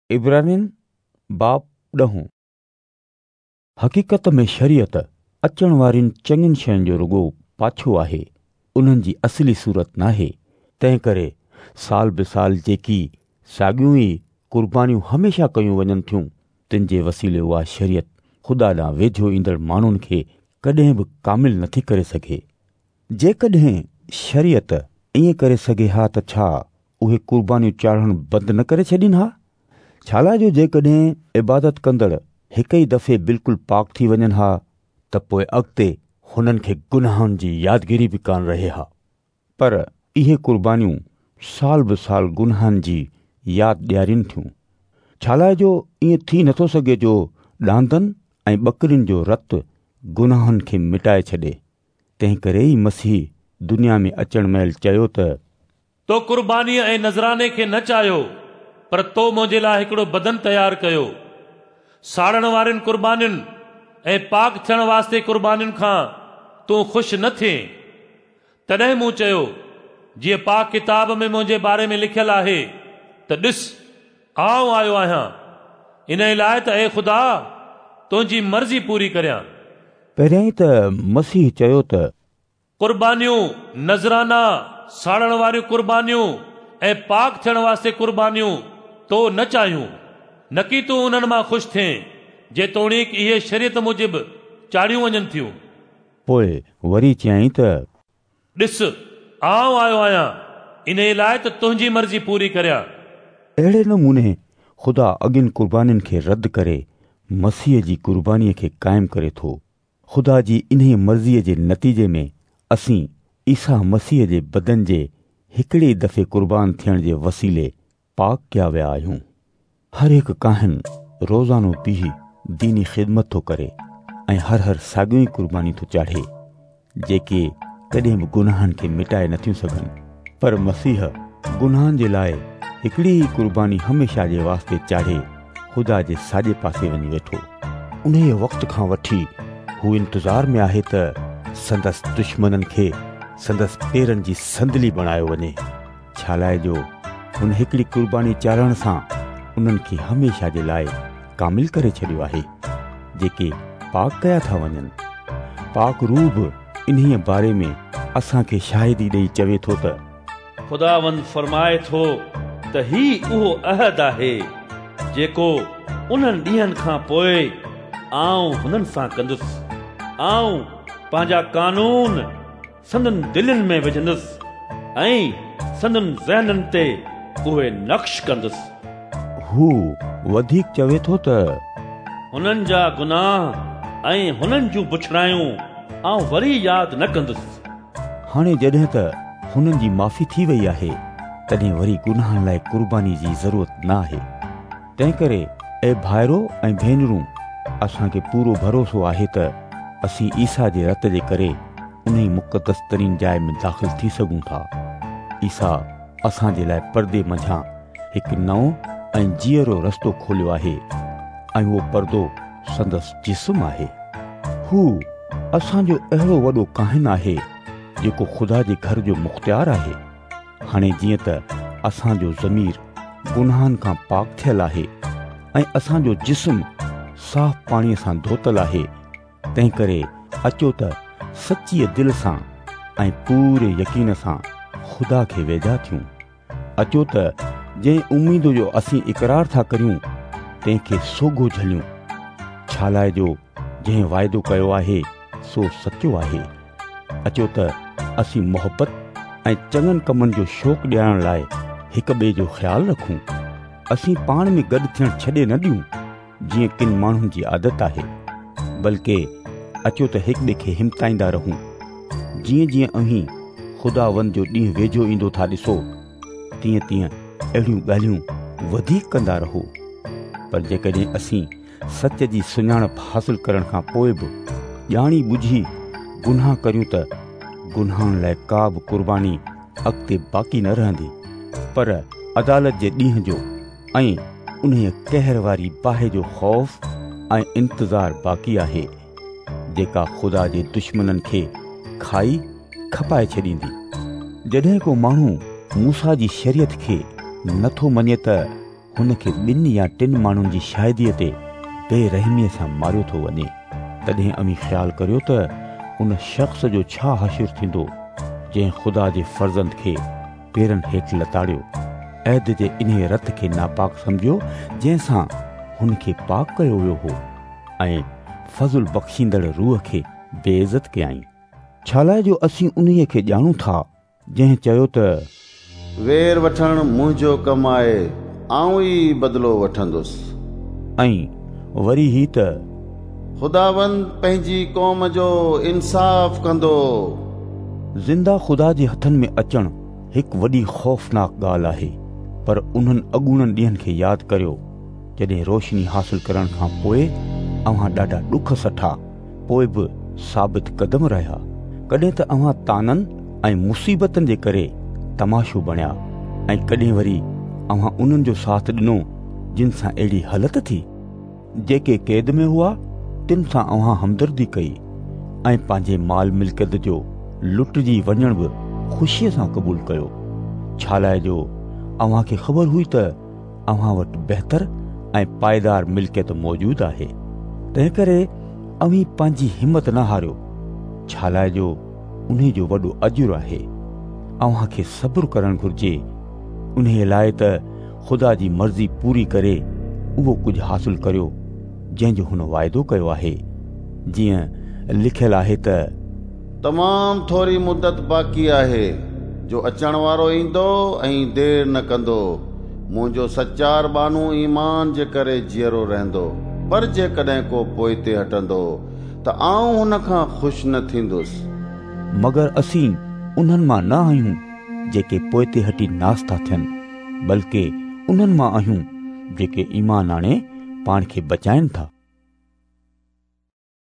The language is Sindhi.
عبرانين باب ڏهون. حقيقت ۾ شريعت اچڻ وارين چڱين شين جو رڳو پاڇو آهي، انهن جي اصلي صورت ناهي. تنهنڪري سال به سال جيڪي ساڳيون ئي قربانيون هميشه ڪيون وڃن ٿيون، تن جي وسيلي اها شريعت خدا ڏانهن ويجهو ايندڙ ماڻهن کي ڪڏهن به ڪامل نٿي ڪري سگهي. جيڪڏهن شريعت ائين ڪري سگهي ها ته ڇا اهي قربانيون چاڙهڻ بند نه ڪري ڇڏين ها؟ ڇالاء جو جيڪڏهن عبادت ڪندڙ هڪ ئي دفعي بلڪل پاڪ ٿي وڃن ها ته پوء اڳتي هنن کي گناهن جي يادگيري به ڪانه رهي ها. پر اهي قربانيون سال به سال گناهن جي ياد ڏيارين ٿيون. ڇالاء جو ائين ٿي نٿو سگهي جو ڏاندن ۽ ٻڪرين جو رت گناهن کي مٽائي ڇڏي. تنهنڪري ئي مسيح دنيا ۾ اچڻ مهل چيو ته. تو قربانيء ۽ نذراني کي نه چاهيو، پر تو منهنجي لاء هڪڙو بدن تيار ڪيو. ساڙڻ وارين قربانين ۽ پاڪ ٿيڻ واسطي قربانين کان تون خوش نه ٿئين. تڏهن مون چيو، جيئن پاڪ ڪتاب ۾ منهنجي باري ۾ لکيل آهي ته ڏس، آئون آيو آهيان، انهيء لاء ته اي خدا، تنهنجي مرضي پوري ڪريان. پهريائين ته مسيح چيو ته. قربانيون، نذرانا، ساڙڻ واريون قربانيون ۽ پاڪ ٿيڻ واسطي قربانيون تو نه چاهيون، نڪي تون انهن مان خوش ٿئين، جيتوڻيڪ اهي شريعت موجب چاڙهيون وڃن ٿيون. پوء وري چيائين ته. ڏس، آئون آيو آهيان، انهيء لاء ته تنهنجي مرضي پوري ڪريان. اهڙي نموني خدا اڳين قربانين کي رد ڪري مسيح جي قربانيء کي قائم ڪري ٿو. خدا جي انهيء مرضيء جي نتيجي ۾ اسين عيسيٰ مسيح جي بدن جي هڪڙي ئي دفعي قربان ٿيڻ جي وسيلي پاڪ ڪيا ويا آهيون. هر هڪ ڪاهن روزانو بيهي ديني خدمت ٿو ڪري ۽ هر هر ساڳيون ئي قربانيون ٿو چاڙهي، جيڪي ڪڏهن به گناهن کي مٽائي نٿيون سگهن. پر مسيح گناهن جي لاء هڪڙي ئي قرباني هميشه جي واسطي چاڙهي خدا جي ساڄي پاسي وڃي ويٺو. انهيء وقت کان وٺي هو انتظار ۾ آهي ته سندس دشمنن کي سندس پيرن جي صندلي بڻايو وڃي، ڇالاء جو هن هڪڙي قرباني چاڙهڻ سان انهن کي هميشه جي لاء ڪامل ڪري ڇڏيو آهي، جيڪي پاڪ ڪيا ٿا وڃن. پاڪ روح به انهيء باري ۾ اسان کي شاهدي ڏيئي چوي ٿو ته. خداوند فرمائي ٿو ته هي اهو عهد آهي، جيڪو انهن ڏينهن کان پوء آئون هنن سان ڪندس. آئون پنهنجا قانون سندن دلين ۾ وجهندس ۽ سندن ذهنن تي اهي نقش ڪندس. هو وڌيڪ چوي ٿو ته. هنن جا گناهه ۽ هنن جون بڇڙايون آئون وري ياد نه ڪندس. هاڻي جڏهن ته هنن جي معافي ٿي وئي آهي، تڏهن وري گناهن لاء قرباني جي ضرورت نه آهي. تنهنڪري اي ڀائرو ۽ ڀينرون، اسان کي پورو ڀروسو آهي ته اسين عيسيٰ جي رت جي ڪري انهي مقدس ترين جاء ۾ داخل ٿي سگهون ٿا. عيسيٰ اسان جي لاء پردي منجهان هڪ نئون ۽ جيئرو رستو کوليو آهي ۽ اهو پردو سندس جسم آهي. هو اسان جو اهڙو وڏو ڪاهن آهي، جيڪو خدا جي گهر جو مختيار آهي. هاڻي جيئن ته اسان جو ضمير گناهن کان پاڪ ٿيل آهي ۽ اسان جو جسم صاف پاڻيء سان ڌوتل آهي، تنهنڪري اچو ته سچيء دل سان ۽ پوري يقين سان خدا کي ويجها ٿيون. اچو ته جنهن اميد جو اسين اقرار ٿا ڪريون، تنهن کي سوگهو جهليون، ڇالاء جو جنهن واعدو ڪيو آهي، سو سچو آهي. اچو ته اسين محبت ۽ چڱن ڪمن جو شوق ڏيارڻ لاء هڪ ٻئي جو خيال رکون. اسين پاڻ ۾ گڏ ٿيڻ ڇڏي نه ڏيون، جيئن ڪن ماڻهن جي عادت آهي، بلڪه اچو ته هڪ ٻئي کي همتائيندا رهون، جيئن جيئن اوهين خداوند جو ڏينهن ويجهو ايندو ٿا ڏسو، تيئن تيئن اهڙيون ڳالهيون وڌيڪ ڪندا رهو. پر جيڪڏهن اسين سچ جي سڃاڻپ حاصل ڪرڻ کان پوء به ڄاڻي ٻجهي گناهه ڪريون ته گناهن لاء ڪا به قرباني اڳتي باقي نه رهندي، پر عدالت جي ڏينهن جو ۽ انهيء قهر واري باهه جو خوف ۽ انتظار باقي آهي، جيڪا خدا جي دشمنن کي کائي کپائي ڇڏيندي. جڏهن ڪو ماڻهو موسيٰ جي شريعت کي نه ٿو مڃي ته هن کي ٻن يا ٽن ماڻهن جي شاهديء تي بي رحميء سان ماريو ٿو وڃي، تڏهن اوهين خيال ڪريو ته ان شخص جو ڇا حشر ٿيندو، جنهن خدا جي فرزند کي پيرن هيٺ لتاڙيو، عهد جي انهيء رت کي ناپاڪ سمجهيو، جنهن سان هن کي پاڪ ڪيو ويو هو، ۽ فضل بخشيندڙ روح کي بيعزت ڪيائين. ڇالاء جو اسين انهيء کي ڄاڻون ٿا، جنهن چيو ته. وير وٺڻ منهنجو ڪم آهي، آئون ئي بدلو وٺندس. ۽ وري هي ته. خداوند پنهنجي قوم جو انصاف ڪندو. زنده خدا جي هٿن ۾ اچڻ هڪ وڏي خوفناڪ ڳالهه آهي، پر انهن اڳوڻن ڏينهن کي ياد ڪريو، جڏهن روشني حاصل ڪرڻ کان پوء اوهان ڏاڍا ڏک سٺا. پوء به ثابت قدم رهيا. ڪڏهن ته اوهان طعنن ۽ مصيبتن جي ڪري تماشو بڻيا ۽ ڪڏهن وري اوهان انهن جو ساٿ ڏنو جن سان اهڙي هلت ٿي. جيڪي قيد ۾ هئا تن سان اوهان همدردي ڪئي ۽ پنهنجي مال ملڪيت جو لٽجي وڃڻ به خوشيء سان قبول ڪيو، ڇالاء جو اوهان کي خبر هئي ته اوهان وٽ بهتر ۽ پائيدار ملڪيت موجود آهي. تنهنڪري اوهين پنهنجي همت نه هاريو، ڇالاء جو انهي جو وڏو اجر آهي. اوهان کي صبر ڪرڻ گهرجي، انهيء لاء ته خدا جي مرضي پوري ڪري اهو ڪجهه حاصل ڪريو، جنهن جو هن واعدو ڪيو آهي. جيئن لکيل آهي ته. تمام ٿوري مدت باقي آهي، جو اچڻ وارو ايندو ۽ دير نه ڪندو. منهنجو سچار ٻانهو ايمان جي ڪري جيئرو رهندو، پر جيڪڏهن ڪو پوئتي هٽندو ته آئون هن کان خوش نه ٿيندس. مگر اسين انهن مان نه آهيون جيڪي پوئتي هٽي ناس ٿا ٿين، بلڪ انهن مان آهيون جيڪي ايمان آڻي پاڻ کي بچائين ٿا.